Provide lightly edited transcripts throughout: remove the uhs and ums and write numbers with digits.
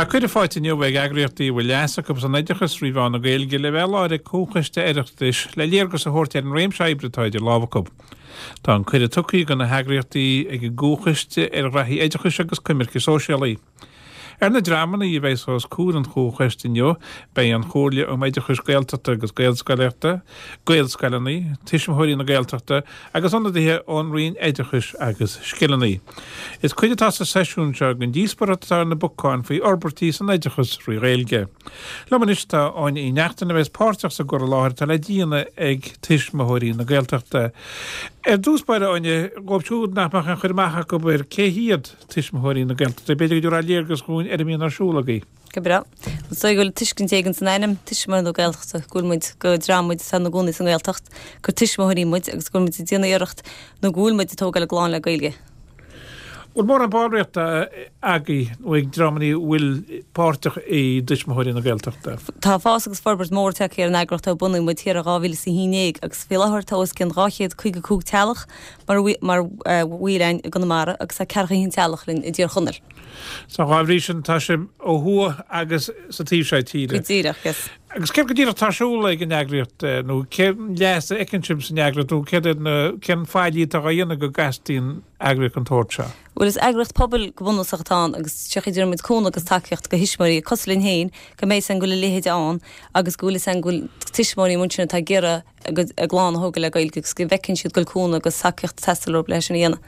Tá cuireadh faighte inniu ag eagraíochtaí a bhfuil leas acu san oideachas trí mheán na Gaeilge le bheith i láthair ag Comhchoiste Oireachtais le léargas a thabhairt ar an réimse oibre atá idir lámha acu. Tá an cuireadh tugtha do na heagraíochtaí ag an gComhchoiste ar Ghraithí Oideachais agus Coimirce Sóisialaí. Ar na dreamanna a bheas os comhair an Chomhchoiste inniu beidh an Chomhairle um Oideachais Gaeltachta agus Gaelscolaíochta, Gaelscoileanna, Tuismitheoirí na Gaeltachta agus ionadaithe ón Roinn Oideachais agus Scileanna. Is cuid atá sa seisiún seo den díospóireacht atá ar na bacáin faoi fhorbairtí san oideachas thrí Ghaeilge. Liom anois tá Áine Uí Neachtain a bheas páirteach sa gcur i láthair atá le déanamh ag Tuismitheoirí na Gaeltachta. Ar dtús báire, Áine, dhóibh siúd nach mbeadh aon chur amach acu ar cé hiad Tuismitheoirí na Gaeltachta. B'fhéidir go dtabharfá léargas dhúinn ar a mbíonn ar siúl agaibh. Go breá. Is dóigh go bhfuil tuiscint éigin san ainm, Tuismitheoirí na Gaeltachta, go bhfuil muid, go dream muid atá ina gcónaí sa nGaeltacht, gur tuismitheoirí muid agus go bhfuil muid ag déanamh iarracht nó go bhfuil muid ag tógáil ár gclann le Gaeilge. Bhfuil mórán ballraíochta agaibh nó ag dreamanna a bhfuil páirteach i dTuismitheoirí na Gaeltachta? Tá fás agus forbairt mór tagtha ar an eagraíocht ó bunaíodh muid thiar i 2011 agus faoi láthair tá os cionn 255 teaghlach mar mar bhaill againn i gConamara agus tá ceathracha a haon teaghlach linn i dTír Chonaill. So dá bhrí sin tá sibh ó thuaidh agus sa taobh seo tíre. Go díreach, yes. Agus céard go díreach atá ar siúl ag an eagraíocht nó cén leas a fheiceann sibh san eagraíocht nó céard iad na cén faillí atá á dhéanamh go dteastaíonn eagraíocht den tsórt seo? Bhuel is eagraíocht pobail go bunúsach atá ann agus sé an chaoi a dtabharfaidh muid cúnamh agus tacaíocht do thuismitheoirí cosúil linn féin go mbeidh 'fhios againn go bhfuil a leithéid ann agus go bhfuil 'fhios againn go bhfuil tuismitheoirí amuigh ansin atá ag iarraidh a gcuid a gclann a thógáil le Gaeilge agus go bhfeiceann siad go bhfuil cúnamh agus tacaíocht ag teastáil uathu leis sin a dhéanamh.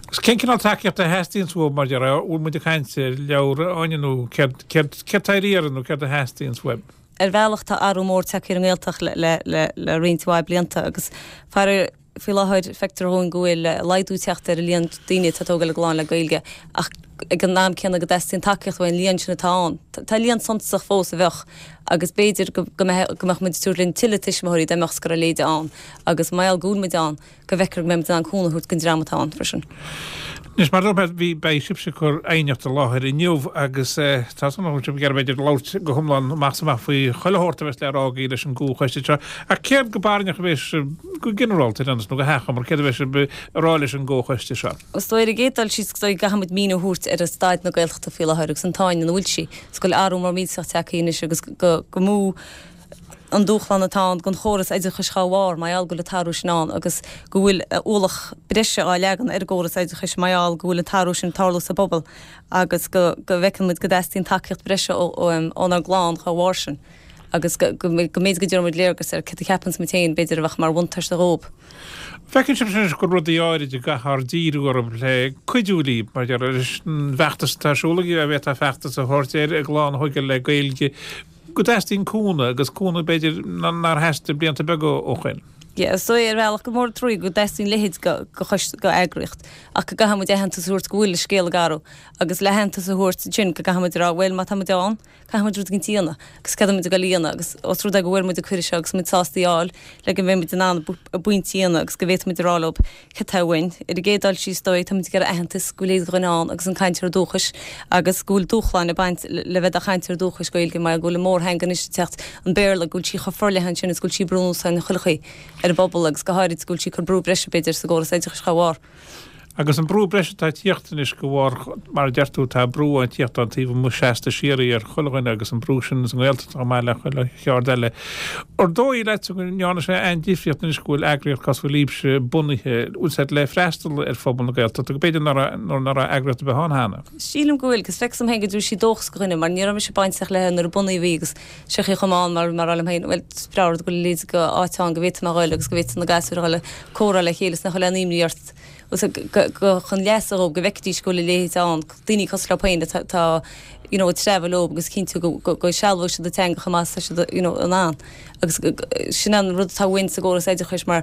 Agus cén cineál tacaíochta a theastaíonns uaibh mar déarfá, bhfuil muid ag caint ar leabhra, Áine, nó céard, céard, céard tá ar iarraidh nó céard a theastaíonns uaibh? Ar bhealach tá athrú mór tagtha ar an nGaeltacht le, le, le, le roinnt mhaith blianta agus faraor faoi láthair feictear dhúinn go bhfuil laghdú ag teacht ar an líon daoine atá ag tógáil a gclann le Gaeilge ach ag an am céanna go dteastaíonn tacaíocht uainn an líon sin atá ann. Tá líon suntasach fós a bheadh agus b'fhéidir go mbeadh muid ag tabhairt linn tuilleadh tuismitheoirí dá mbeadh 's go raibh a leithéid ann agus mar gheall go bhfuil muid ann go bhfeictear go mbeidh muid in ann cúnamh a thabhairt don dream atá ann freisin. Anois, mar a dúirt mé, bhí, beidh sibhse ag cur aighneacht i láthair inniu agus tá súil agam go bhfuil sibh ag iarraidh b'fhéidir labhairt go hiomlán amach is amach faoi chuile shórt a bheas le rá agaibh leis an gcomhchoiste seo. Ach céard go barainneach a bheas sibh, go ginearálta ar aon nós, nó go hachomair, céard a bheas sibh a rá leis an gcomhchoiste seo? Is dóigh ar an gcéad dul síos is dóigh go gcaithfidh muid míniú a thabhairt ar staid na Gaeltachta faoi láthair agus an tsáinn ina bhfuil sí. Is go bhfuil athrú mór millteach tagtha anois agus go go mó an dúshlán atá ann don chóras oideachais dhá bharr, mar gheall go bhfuil an t-athrú sin ann agus go bhfuil ualach breise á leagan ar an gcóras oideachais mar gheall go bhfuil an t-athrú sin ag tarlú sa bpobal agus go go bhfeiceann muid go dteastaíonn tacaíocht breise ónár gclann dhá bharr sin agus go go mb'fhéidir go dtabharfaidh muid léargas ar céard a cheapanns muid féin b'fhéidir a bheadh mar bhuntáiste dhóibh. Feiceann sibhse anois go bhfuil rudaí áirid a gcaithfear díriú orthu le cuidiú libh, mar déarfá, leis an bhfeachtas atá ar siúl agaibh, dá bhféadfá feachtas a thabhairt air, a gclann a thógáil le Gaeilge, go dteastaíonn cúnamh, agus cúnamh b'fhéidir nár theastaigh blianta beaga ó shoin. Yeah, is dóigh ar bhealach gur mór an trua go dteastaíonn a leithéid de choiste, d'eagraíocht, ach go gcaithfidh muid aitheantas a thabhairt go bhfuil an scéal ag athrú, agus le haitheantas a thabhairt ansin go gcaithfidh muid a rá, bhuel má tá muid ann, Caithfidh muid rud éigin a dhéanamh agus céard atá muid ag dul a dhéanamh agus os rud é go bhfuair muid an cuireadh seo agus muid sásta í a fháil le go mbeidh muid in ann ár bpointí a dhéanamh agus go bhféadfaidh muid a rá leo céard atá uainn. Ar an gcéad dul síos is dóigh, tá muid ag iarraidh aitheantas go bhfuil a leithéid de dhuine ann agus an cainteoir dúchais agus go bhfuil dúshláin ag baint le bheith i do chainteoir dúchais Gaeilge mar go bhfuil an mórtheanga anois ag teacht, an Béarla, go bhfuil sí chomh forleathan sin is go bhfuil sí ag brú anuas orainn chuile chaoi ar an bpobal agus go háirid go bhfuil sí ag cur brú breise b'fhéidir sa gcóras oideachais dá bharr. Agus an brú breise atá ag tíocht anois de bharr, mar a deir tú, tá brú ag tíocht ón taobh amuigh seasta síoraí ar chuile dhuine agus an brú sin sa nGaeltacht chomh maith le chuile cheard eile. Ar dóigh leatsa go ndearna sé aon difríocht anois go bhfuil eagraíocht cosúil libhse bunaithe, bhfuil sé le freastal ar phobal na Gaeltachta, go b'fhéidir nuair nach raibh eagraíocht ar bith ann cheana? Sílim go bhfuil, agus feictear dom féin go dtabharfaidh sí dóchas do dhuine mar ní raibh mise bainteach léi nuair a bunaíodh í agus sé an chaoi a raibh mé ann mar mar a rá liom féin, bhuel, is breá rud go bhfuil a leithéid d'áit ann go bhféadfaidh mé a dhul agus go bhféadfaidh na gasúir a dhul ag comhrá le chéile is nach bhfuil aon imní ort go chun leasa dhóibh go bhfeicfidís go bhfuil a leithéid ann, daoine cosúil leo féin atá you know ag treabhadh leo agus cinntiú go go go sealbhóidh siad an teanga chomh maith is atá siad you know in ann. Agus sin an rud atá uainn sa gcóras oideachais mar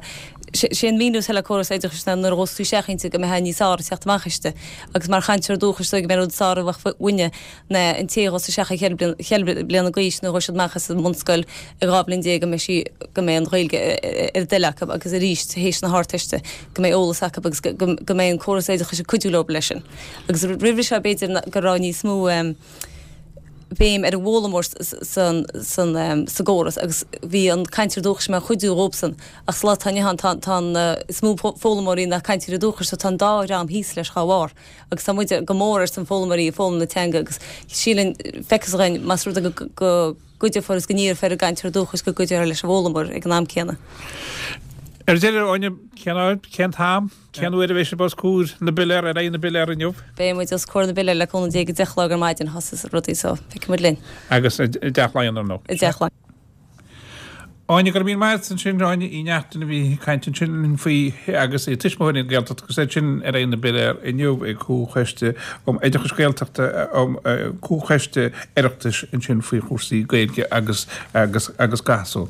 sé an míniú atá le córas oideachais ná nuair a ghabhfas tú isteach inti go mbeifeá níos fearr ag teacht amach aisti agus mar chainteoir dúchais is dóigh go mbeidh rud is fearr a bheadh uainne ná an té a ghabhfas isteach ag cheithre bliana d'aois nó a ghabhfaidh siad amach as an mbunscoil ag 12 bliain go mbeidh sí, go mbeidh an Ghaeilge ar a dtoil acu agus arís théis na hArdteiste go mbeidh eolas acu agus go mbeidh an córas oideachais ag cuidiú leo leis sin. Agus roimhe seo b'fhéidir go raibh níos mó. béim ar an bhfoghlaimeoir san sa gcóras agus bhí an cainteoir dúchais mar chuidiú dhóibhsan ach sa lá atá inniu ann tá tá an is mó foghlaimeoirí ná cainteoirí dúchais so tá an dá dhream thíos leis dhá bharr agus tá muid go mór ar son foghlaimeoirí ag foghlaim na teanga agus sílim feictear dhúinn más rud é go go gcuideofar agus go n-iarrfar ar an gcainteoir dúchais go gcuideofar leis an bhfoghlaimeoir ag an am céanna. Ar deireadh, Áine, cén áit, cén t-am, cén uair a bheidh sibh os comhair na bpiléar, ar aghaidh na bpiléar inniu? Beidh muid os comhair na bpiléar le cúnamh Dé ag a 10 a chlog ar maidin, thosaigh rudaí so feicfidh muid linn. Agus i dTeach Laighean, ar ndóigh. I dTeach Laighean. Áine, go raibh míle maith agat ansin, Áine Uí Neachtain a bhí ag caint ansin linn faoi agus í Tuismitheoirí na Gaeltachta agus iad sin ar aghaidh na bpiléar inniu ag Comhchoiste um Oideachais Gaeltachta um Comhchoiste Oireachtais ansin faoi chúrsaí Gaeilge agus agus agus gasúr.